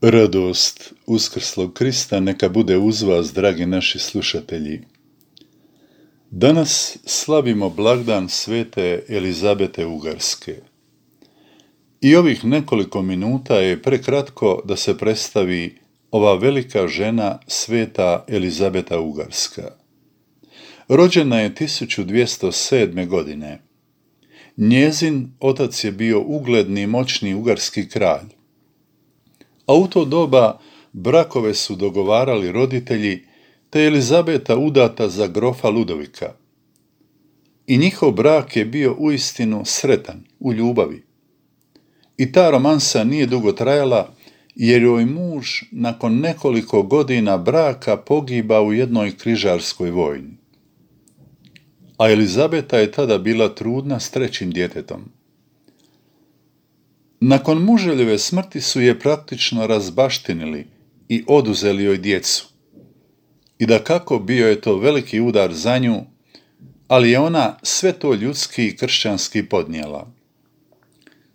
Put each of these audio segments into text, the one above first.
Radost uskrslog Krista neka bude uz vas, dragi naši slušatelji. Danas slavimo blagdan svete Elizabete Ugarske. I ovih nekoliko minuta je prekratko da se predstavi ova velika žena, sveta Elizabeta Ugarska. Rođena je 1207. godine. Njezin otac je bio ugledni i moćni ugarski kralj. A u to doba brakove su dogovarali roditelji, te je Elizabeta udata za grofa Ludovika. I njihov brak je bio uistinu sretan, u ljubavi. I ta romansa nije dugo trajala, jer joj muž nakon nekoliko godina braka pogiba u jednoj križarskoj vojni. A Elizabeta je tada bila trudna s trećim djetetom. Nakon muževljeve smrti su je praktično razbaštinili i oduzeli joj djecu. I dakako bio je to veliki udar za nju, ali je ona sve to ljudski i kršćanski podnijela.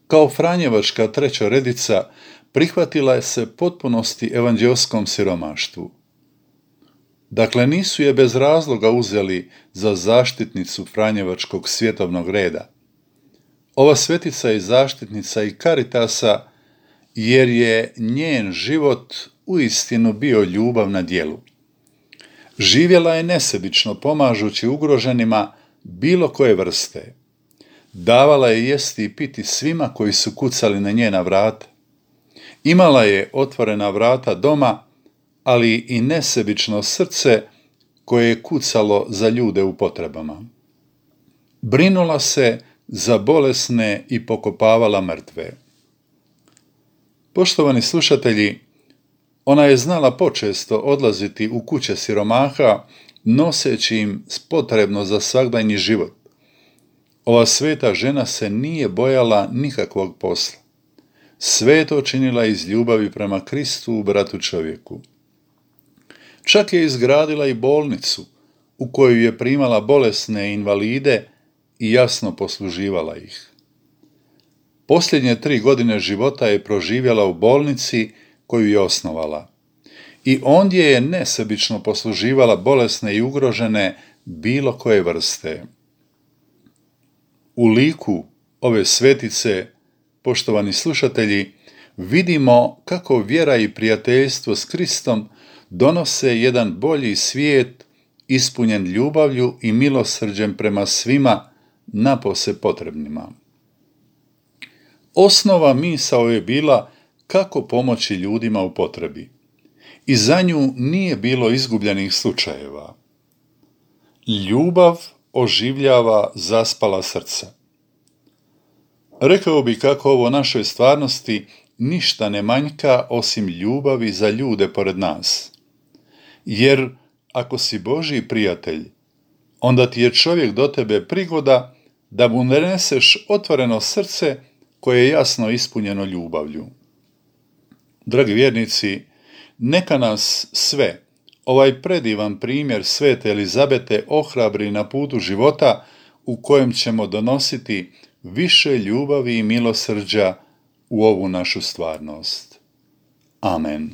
Kao franjevačka trećoredica prihvatila je se potpunosti evanđelskom siromaštvu. Dakle, nisu je bez razloga uzeli za zaštitnicu franjevačkog svjetovnog reda. Ova svetica je zaštitnica i Caritasa, jer je njen život uistinu bio ljubav na djelu. Živjela je nesebično pomažući ugroženima bilo koje vrste. Davala je jesti i piti svima koji su kucali na njena vrata. Imala je otvorena vrata doma, ali i nesebično srce koje je kucalo za ljude u potrebama. Brinula se za bolesne i pokopavala mrtve. Poštovani slušatelji, ona je znala počesto odlaziti u kuće siromaha, noseći im potrebno za svagdanji život. Ova sveta žena se nije bojala nikakvog posla. Sve je to činila iz ljubavi prema Kristu, bratu čovjeku. Čak je izgradila i bolnicu u koju je primala bolesne invalide i jasno posluživala ih. Posljednje 3 godine života je proživjela u bolnici koju je osnovala. I ondje je nesebično posluživala bolesne i ugrožene bilo koje vrste. U liku ove svetice, poštovani slušatelji, vidimo kako vjera i prijateljstvo s Kristom donose jedan bolji svijet ispunjen ljubavlju i milosrđem prema svima napose potrebnima. Osnova misao je bila kako pomoći ljudima u potrebi. I za nju nije bilo izgubljenih slučajeva. Ljubav oživljava zaspala srca. Rekao bi kako ovo našoj stvarnosti ništa ne manjka osim ljubavi za ljude pored nas. Jer ako si Božji prijatelj, onda ti je čovjek do tebe prigoda da mu neseš otvoreno srce koje je jasno ispunjeno ljubavlju. Dragi vjernici, neka nas sve ovaj predivan primjer svete Elizabete ohrabri na putu života u kojem ćemo donositi više ljubavi i milosrđa u ovu našu stvarnost. Amen.